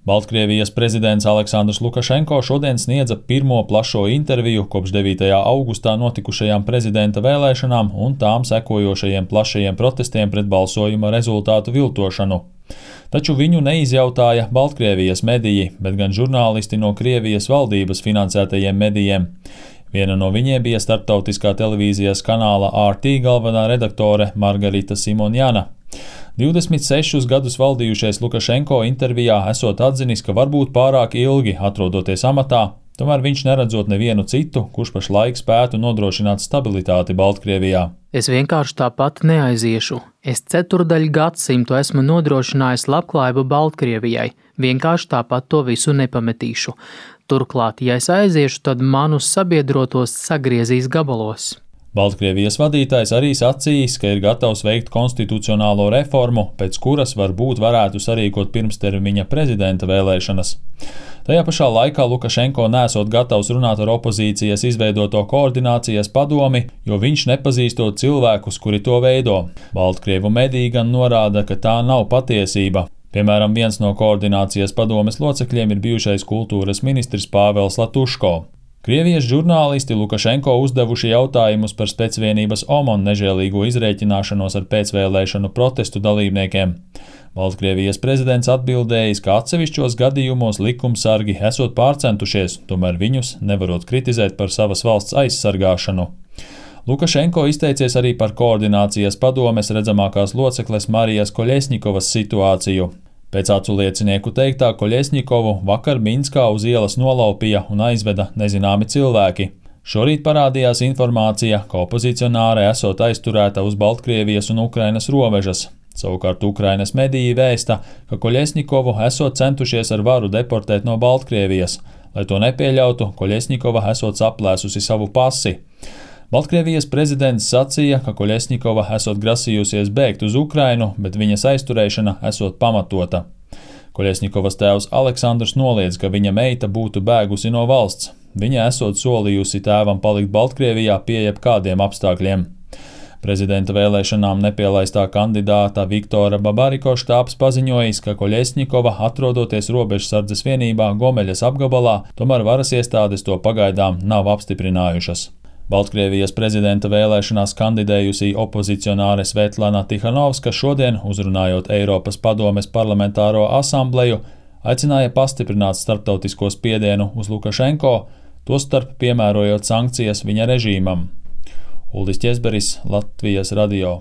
Baltkrievijas prezidents Aleksandrs Lukašenko šodien sniedza pirmo plašo interviju kopš 9. augustā notikušajām prezidenta vēlēšanām un tām sekojošajiem plašajiem protestiem pret balsojuma rezultātu viltošanu. Taču viņu neizjautāja Baltkrievijas mediji, bet gan žurnālisti no Krievijas valdības finansētajiem medijiem. Viena no viņiem bija starptautiskā televīzijas kanāla RT galvenā redaktore Margarita Simonjana. 26 gadus valdījušais Lukašenko intervijā esot atzinis, ka varbūt pārāk ilgi atrodoties amatā, tomēr viņš neredzot nevienu citu, kurš pašlaik spētu nodrošināt stabilitāti Baltkrievijā. Es vienkārši tāpat neaiziešu. Es 4 gadsimtu esmu nodrošinājis labklājību Baltkrievijai, vienkārši tāpat to visu nepametīšu. Turklāt, ja es aiziešu, tad manus sabiedrotos sagriezīs gabalos. Baltkrievijas vadītājs arī sacījis, ka ir gatavs veikt konstitucionālo reformu, pēc kuras varbūt varētu sarīkot pirmstermiņa prezidenta vēlēšanas. Tajā pašā laikā Lukašenko nesot gatavs runāt ar opozīcijas izveidoto koordinācijas padomi, jo viņš nepazīstot cilvēkus, kuri to veido. Baltkrievu mediji gan norāda, ka tā nav patiesība. Piemēram, viens no koordinācijas padomes locekļiem ir bijušais kultūras ministrs Pāvels Latuško. Krievijas žurnālisti Lukašenko uzdevuši jautājumus par specvienības OMON nežēlīgo izrēķināšanos ar pēcvēlēšanu protestu dalībniekiem. Baltkrievijas prezidents atbildējis, ka atsevišķos gadījumos likumsargi esot pārcentušies, tomēr viņus nevarot kritizēt par savas valsts aizsargāšanu. Lukašenko izteicies arī par koordinācijas padomes redzamākās locekles Marijas Koļesņikovas situāciju. Pēc acu liecinieku teiktā, Koļesņikovu vakar Minskā uz ielas nolaupīja un aizveda nezināmi cilvēki. Šorīt parādījās informācija, ka opozicionāre esot aizturēta uz Baltkrievijas un Ukrainas robežas. Savukārt Ukrainas mediji vēsta, ka Koļesņikovu esot centušies ar varu deportēt no Baltkrievijas. Lai to nepieļautu, Koļesņikova esot saplēsusi savu pasi. Baltkrievijas prezidents sacīja, ka Koļesņikova esot grasījusies bēgt uz Ukrainu, bet viņas aizturēšana esot pamatota. Koļesņikovas tēvs Aleksandrs noliedz, ka viņa meita būtu bēgusi no valsts. Viņa esot solījusi tēvam palikt Baltkrievijā pie jebkādiem apstākļiem. Prezidenta vēlēšanām nepielaistā kandidāta Viktora Babariko štābs paziņojis, ka Koļesņikova atrodoties robežsardzes vienībā Gomeļas apgabalā, tomēr varas iestādes to pagaidām nav apstiprinājušas. Baltkrievijas prezidenta vēlēšanās kandidējusī opozicionāre Svetlana Tihanovska šodien, uzrunājot Eiropas padomes parlamentāro asambleju, aicināja pastiprināt starptautisko spiedienu uz Lukašenko, tostarp piemērojot sankcijas viņa režīmam. Uldis Ķezberis, Latvijas radio.